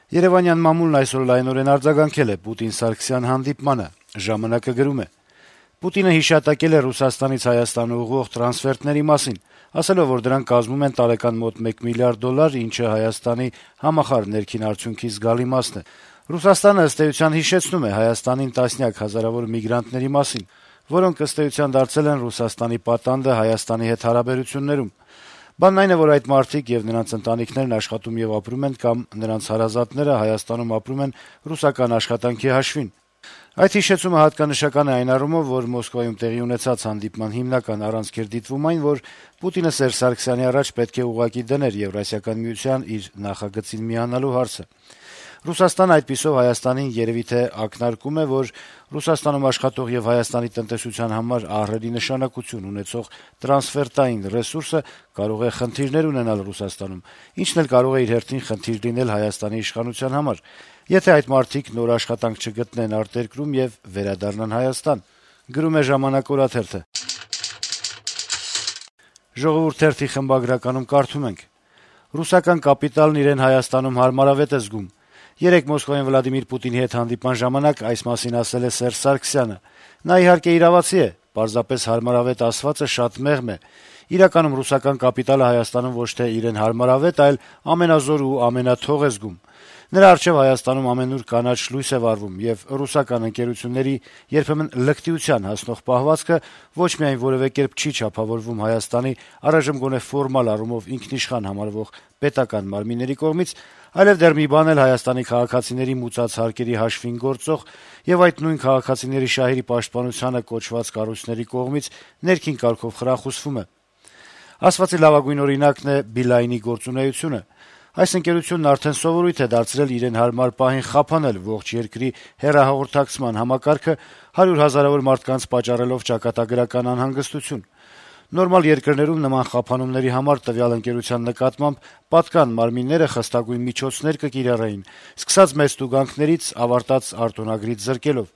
Երևանյան մամուլն այսօր լայնորեն արձագանքել է Պուտին-Սարգսյան հանդիպմանը։ «Ժամանակ»-ը գրում է. - «Պուտինը հիշատակել է Ռուսաստանից Հայաստան ուղղող տրանսֆերտների մասին, ասելով, որ դրանք կազմում են տարեկան մոտ $1 միլիարդ, ինչը Հայաստանի համախառն ներքին արդյունքի զգալի մասն է։ Ռուսաստանը, ըստ էության, հիշեցնում է Հայաստանին տասնյակ հազարավոր միգրանտների մասին, որոնք, ըստ էության, դարձել են Ռուսաստանի պատանդը Հայաստանի հետ հարաբերություններում։ Բանն այն է, որ այդ մարդիկ եւ նրանց ընտանիքներն աշխատում եւ ապրում են կամ նրանց հարազատները Հայաստանում ապրում են ռուսական աշխատանքի հաշվին։ Այդ հիշեցումը հատկանշական է այն առումով, որ Մոսկվայում տեղի ունեցած հանդիպման հիմնական առանցքեր դիտվում այն, որ Պուտինը Սերժ Սարգսյանի առաջ պետք է ուղղակի դներ Եվրասիական միության իր նախագծին միանալու հարցը։ Ռուսաստանը այդպիսով Հայաստանին երեւի թե ակնարկում է, որ Ռուսաստանում աշխատող եւ Հայաստանի տնտեսության համար ահռելի նշանակություն ունեցող տրանսֆերտային ռեսուրսը կարող է խնդիրներ ունենալ Ռուսաստանում, ինչն էլ կարող է իր հերթին խնդիր լինել Հայաստանի իշխանության համար, եթե այդ մարդիկ նոր աշխատանք չգտնեն արտերկրում եւ վերադառնան Հայաստան»։ «Ժողովուրդ» թերթի խմբագրականում կարդում ենք. - «Ռուսական կապիտալն իրեն Հայաստանում հարմարավետ է զգում։ Երեկ Մոսկվայում Վլադիմիր Պուտինի հետ հանդիպման ժամանակ այս մասին ասել է Սերժ Սարգսյանը։ Նա իհարկե իրավացի է, պարզապես հարմարավետ ասվածը շատ մեղմ է։ Իրականում ռուսական կապիտալը Հայաստանում ոչ թե իրեն հարմարավետ, այլ ամենազոր ու ամենաթող է զգում։ Նրա առջեւ Հայաստանում ամենուր կանաչ լույս է վառվում, եւ ռուսական ընկերությունների երբեմն լկտիության հասնող պահվածքը ոչ միայն որեւէ կերպ չի չափավորվում Հայաստանի առայժմ գոնե ֆորմալ առումով ինքնիշխան համարվող պետական մարմինների կողմից, այլև դեռ մի բան էլ Հայաստանի քաղաքացիների մուծած հարկերի հաշվին գործող եւ այդ նույն քաղաքացիների շահերի պաշտպանությանը կոչված կառույցների կողմից ներքին կարգով խրախուսվում է։ Ասվածի լավագույն օրինակն է Բիլայնի գործունեությունը։ Այս ընկերությունն արդեն սովորույթ է դարձրել իրեն հարմար պահին խափանել ողջ երկրի հեռահաղորդակցման համակարգը 100 հազարավոր մարդկանց պատճառելով ճակատագրական անհանգստություն։ Նորմալ երկրներում նման խափանումների համար տվյալ ընկերության նկատմամբ պատկան մարմինները խստագույն միջոցներ կկիրառեին, սկսած մեծ տուգանքներից, ավարտած արտոնագրից զրկելով։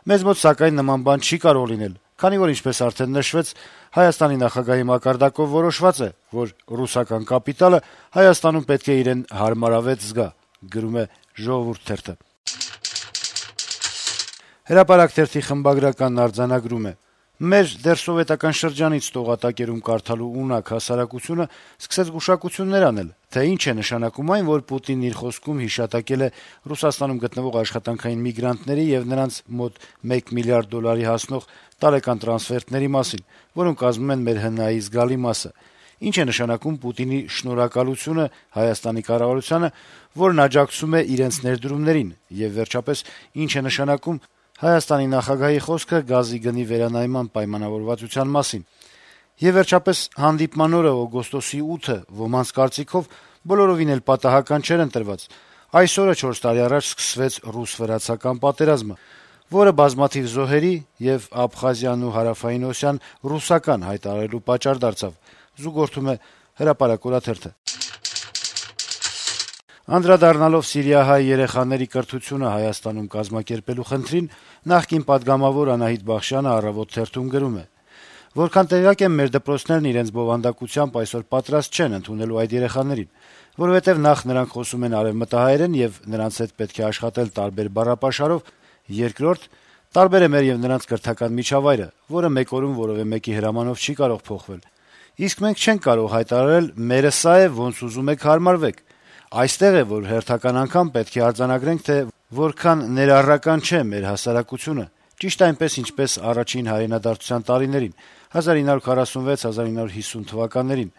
Մեզ մոտ, սակայն, նման բան չի կարող լինել, քանի որ, ինչպես արդեն նշվեց, Հայաստանի նախագահի մակարդակով որոշված է, որ ռուսական կապիտալը Հայաստանում պետք է իրեն հարմարավետ զգա»։ «Հրապարակ» թերթի խմբագրականն արձանագրում է. - «Մեր դեռ սովետական շրջանից տողատակերում կարդալու ունակ հասարակությունը սկսեց գուշակություններ անել, թե ինչ է նշանակում այն, որ Պուտինն իր խոսքում հիշատակել է Ռուսաստանում գտնվող աշխատանքային միգրանտների եւ նրանց մոտ $1 միլիարդ հասնող տարեկան տրանսֆերտների մասին, որոնք կազմում են մեր ՀՆԱ-ի զգալի մասը։ Ինչ է նշանակում Պուտինի շնորհակալությունը Հայաստանի կառավարությանը, որն աջակցում է իրենց ներդրումներին, եւ վերջապես ինչ է նշանակում Հայաստանի նախագահի խոսքը գազի գնի վերանայման պայմանավորվածության մասին։ Եվ վերջապես հանդիպման օրը օգոստոսի 8-ը ոմանց կարծիքով բոլորովին էլ պատահական չէր ընտրված։ Այս օրը 4 տարի առաջ սկսվեց ռուս-վրացական պատերազմը, որը բազմաթիվ զոհերի եւ Աբխազիան ու Հարավային Օսիան ռուսական հայտարարելու պատճառ դարձավ»։ Անդրադառնալով սիրիահայ երեխաների կրթությունը Հայաստանում կազմակերպելու խնդրին, նախկին պատգամավոր Անահիտ Բախշյանը «Առավոտ» թերթում գրում է. - «Որքան տեղյակ եմ, մեր դպրոցներն իրենց բովանդակությամբ այսօր պատրաստ չեն ընդունելու այդ երեխաներին, որովհետեւ նախ նրանք խոսում են արեւմտահայերեն եւ նրանց հետ պետք է աշխատել տարբեր բառապաշարով, երկրորդ՝ տարբեր է մեր եւ նրանց կրթական միջավայրը, որը մեկ օրում որեւէ մեկի հրամանով չի կարող փոխվել։ Իսկ մենք չենք կարող հայտարարել՝ մերը սա է, ոնց ուզում եք հարմարվեք։ Այստեղ է, որ հերթական անգամ պետք է արձանագրենք, թե որքան ներառական չէ մեր հասարակությունը, ճիշտ այնպես, ինչպես առաջին հայրենադարձության տարիներին՝ 1946-1950 թվականներին,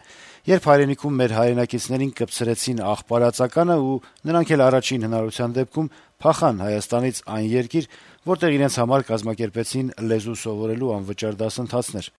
երբ հայրենիքում մեր հայրենակիցներին կպցրեցին աղբարածականը ու նրանք էլ առաջին հնարավորության դեպքում փախան Հայաստանից այն երկիր, որտեղ իրենց համար կազմակերպեցին լեզու սովորելու անվճար դասընթացներ»։